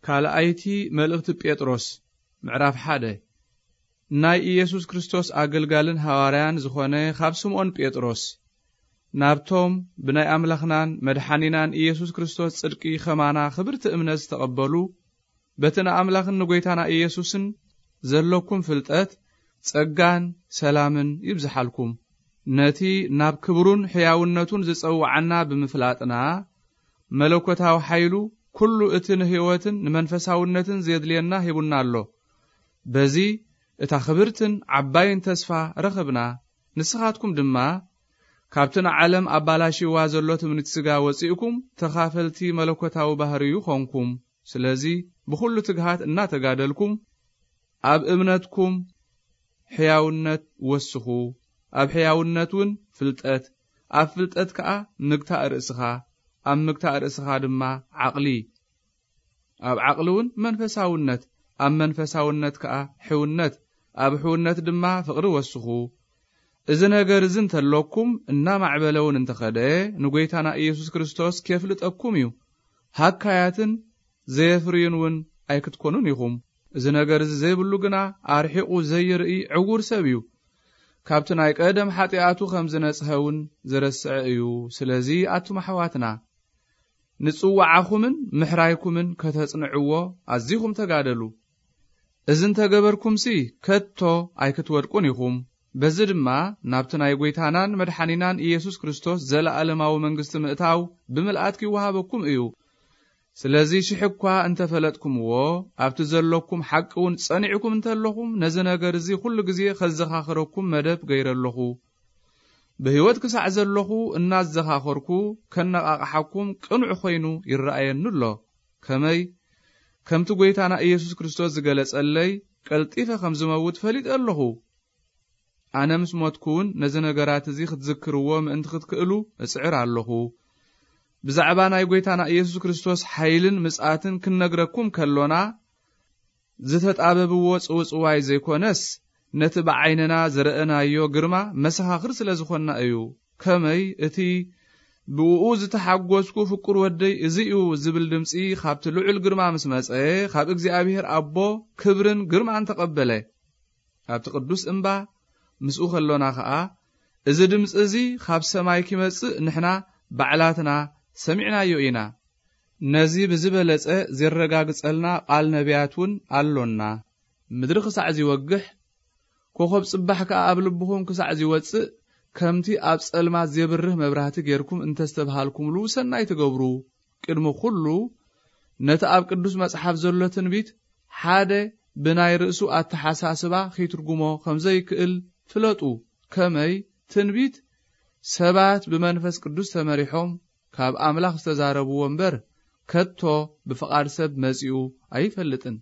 ካልኣይቲ መልእኽቲ ጴጥሮስ፣ ምዕራፍ ሓደ። ናይ ኢየሱስ ክርስቶስ ኣገልጋልን ሃዋርያን ዝኾነ ካብ ስምዖን ጴጥሮስ፣ ናብቶም ብናይ ኣምላኽናን መድሓኒናን ኢየሱስ ክርስቶስ ጽድቂ ኸማና ኽብርቲ እምነት ዝተቐበሉ፣ በቲ ንኣምላኽን ንጐይታና ኢየሱስን ዘለኩም ፍልጠት ጸጋን ሰላምን ይብዝሓልኩም። ነቲ ናብ ክብሩን ሕያውነቱን ዝጸውዓና ብምፍላጥና፣ መለኮታዊ ሓይሉ ኩሉ እቲ ንህይወትን ንመንፈሳውነትን ዜድልየና ሂቡና ኣሎ። በዚ እታ ክብርትን ዓባይን ተስፋ ረኸብና። ንስኻትኩም ድማ ካብቲ ንዓለም ኣባላሽዋ ዘሎ ትምኒት ስጋ ወጺእኩም ተኻፈልቲ መለኮታዊ ባህርዩ ኾንኩም። ስለዚ ብኹሉ ትግሃት እናተጋደልኩም ኣብ እምነትኩም ሕያውነት ወስኹ፣ ኣብ ሕያውነት እውን ፍልጠት፣ ኣብ ፍልጠት ከኣ ምግታእ ርእስኻ፣ ኣብ ምግታእ ርእስኻ ድማ ዓቕሊ፣ ኣብ ዓቕሊ እውን መንፈሳውነት፣ ኣብ መንፈሳውነት ከኣ ሕውነት፣ ኣብ ሕውነት ድማ ፍቕሪ ወስኹ። እዚ ነገር እዚ እንተሎኩም እናማዕበለ እውን እንተኸደ ንጐይታና ኢየሱስ ክርስቶስ ኬፍልጠኩም እዩ። ሃካያትን ዘየፍርዩን እውን ኣይክትኮኑን ኢኹም። እዚ ነገር እዚ ዘይብሉ ግና ኣርሒቑ ዘይርኢ ዕዉር ሰብ እዩ። ካብቲ ናይ ቀደም ሓጢኣቱ ከም ዝነጽሀ እውን ዝረስዐ እዩ። ስለዚ ኣቱም ኣሕዋትና፣ ንጽዋዓኹምን ምሕራይኩምን ከተጽንዕዎ ኣዚኹም ተጋደሉ። እዚ እንተገበርኩምሲ ከቶ ኣይክትወድቁን ኢኹም። በዚ ድማ ናብቲ ናይ ጐይታናን መድሓኒናን ኢየሱስ ክርስቶስ ዘለኣለማዊ መንግስቲ ምእታው ብምልኣት ኪወሃበኩም እዩ። ስለዚ ሽሕ እኳ እንተፈለጥኩምዎ፣ ኣብቲ ዘሎኩም ሓቂ እውን ጸኒዕኩም እንተለኹም፣ ነዚ ነገር እዚ ኩሉ ግዜ ከዘኻኽረኩም መደብ ገይረ ኣለኹ። ብህይወት ክሳዕ ዘለኹ እናዘኻኸርኩ ከነቓቕሓኩም ቅኑዕ ኾይኑ ይረኣየኒ ኣሎ። ከመይ? ከምቲ ጐይታና ኢየሱስ ክርስቶስ ዝገለጸለይ፣ ቀልጢፈ ከም ዝመውት ፈሊጠ ኣለኹ። ኣነ ምስ ሞትኩ እውን ነዚ ነገራት እዚ ክትዝክርዎ ምእንቲ ክትክእሉ እጽዕር ኣለኹ። ብዛዕባ ናይ ጐይታና ኢየሱስ ክርስቶስ ሓይልን ምጽኣትን ክንነግረኩም ከሎና፣ ዝተጣበብዎ ጽውጽዋይ ዘይኮነስ፣ ነቲ ብዓይንና ዝረኣናዮ ግርማ መሰኻኽር ስለ ዝኾንና እዩ። ከመይ? እቲ ብእኡ ዝተሓጎስኩ ፍቁር ወደይ እዚ እዩ ዝብል ድምጺ ኻብቲ ልዑል ግርማ ምስ መጸ፣ ኻብ እግዚኣብሔር ኣቦ ክብርን ግርማን ተቐበለ። ኣብቲ ቅዱስ እምባ ምስኡ ከሎና ኸኣ፣ እዚ ድምጺ እዚ ኻብ ሰማይ ኪመጽእ ንሕና ባዕላትና ሰሚዕናዮ ኢና። ነዚ ብዝበለጸ ዜረጋግጸልና ቓል ነቢያት እውን ኣሎና። ምድሪ ክሳዕ ዚወግሕ፣ ኮኾብ ጽባሕ ከኣ ኣብ ልብኹም ክሳዕ ዚወጽእ፣ ከምቲ ኣብ ጸልማት ዜብርህ መብራህቲ ጌርኩም እንተ ዝተብሃልኩምሉ ሰናይ ትገብሩ። ቅድሚ ኹሉ፣ ነቲ ኣብ ቅዱስ መጽሓፍ ዘሎ ትንቢት ሓደ ብናይ ርእሱ ኣተሓሳስባ ኺትርጉሞ ኸም ዘይክእል ፍለጡ። ከመይ? ትንቢት ሰባት ብመንፈስ ቅዱስ ተመሪሖም ካብ ኣምላኽ ዝተዛረብዎ እምበር፣ ከቶ ብፍቓድ ሰብ መጺኡ ኣይፈልጥን።